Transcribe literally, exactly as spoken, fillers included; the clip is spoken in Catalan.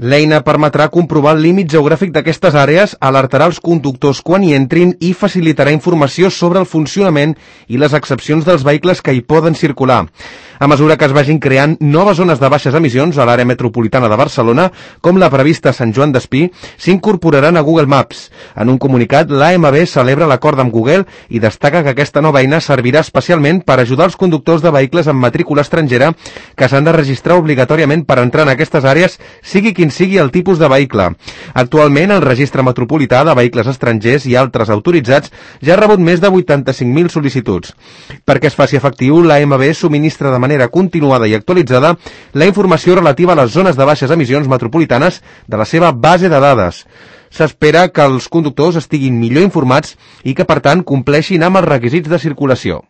L'eina permetrà comprovar el límit geogràfic d'aquestes àrees, alertarà els conductors quan hi entrin i facilitarà informació sobre el funcionament i les excepcions dels vehicles que hi poden circular. A mesura que es vagin creant noves zones de baixes emissions a l'àrea metropolitana de Barcelona, com la prevista a Sant Joan d'Espí, s'incorporaran a Google Maps. En un comunicat, l'A M B celebra l'acord amb Google i destaca que aquesta nova eina servirà especialment per ajudar els conductors de vehicles amb matrícula estrangera que s'han de registrar obligatòriament per entrar en aquestes àrees, sigui quin sigui el tipus de vehicle. Actualment, el Registre Metropolità de Vehicles Estrangers i altres autoritzats ja ha rebut més de vuitanta-cinc mil sol·licituds. Perquè es faci efectiu, l'A M B subministra de manera continuada i actualitzada la informació relativa a les zones de baixes emissions metropolitanes de la seva base de dades. S'espera que els conductors estiguin millor informats i que, per tant, compleixin amb els requisits de circulació.